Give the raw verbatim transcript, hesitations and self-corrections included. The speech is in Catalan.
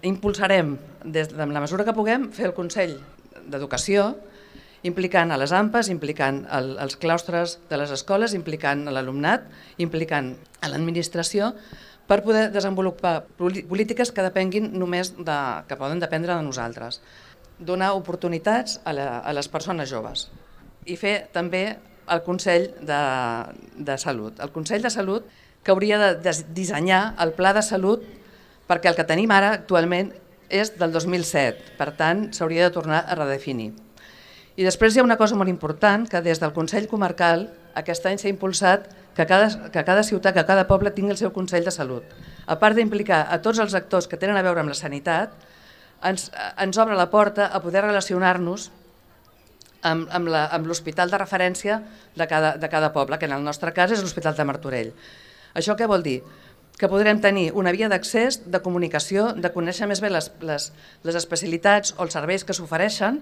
Impulsarem, des de la mesura que puguem, fer el Consell d'Educació, implicant a les A M P Es, implicant el, els claustres de les escoles, implicant l'alumnat, implicant a l'administració, per poder desenvolupar polítiques que depenguin només de, que poden dependre de nosaltres. Donar oportunitats a, la, a les persones joves i fer també el Consell de, de Salut. El Consell de Salut que hauria de, de dissenyar el pla de salut, perquè el que tenim ara actualment és del dos mil set, per tant s'hauria de tornar a redefinir. I després hi ha una cosa molt important, que des del Consell Comarcal aquest any s'ha impulsat que cada, que cada ciutat, que cada poble tingui el seu Consell de Salut. A part d'implicar a tots els actors que tenen a veure amb la sanitat, ens, ens obre la porta a poder relacionar-nos amb, amb, la, amb l'hospital de referència de cada, de cada poble, que en el nostre cas és l'Hospital de Martorell. Això què vol dir? Que podrem tenir una via d'accés, de comunicació, de conèixer més bé les, les, les especialitats o els serveis que s'ofereixen,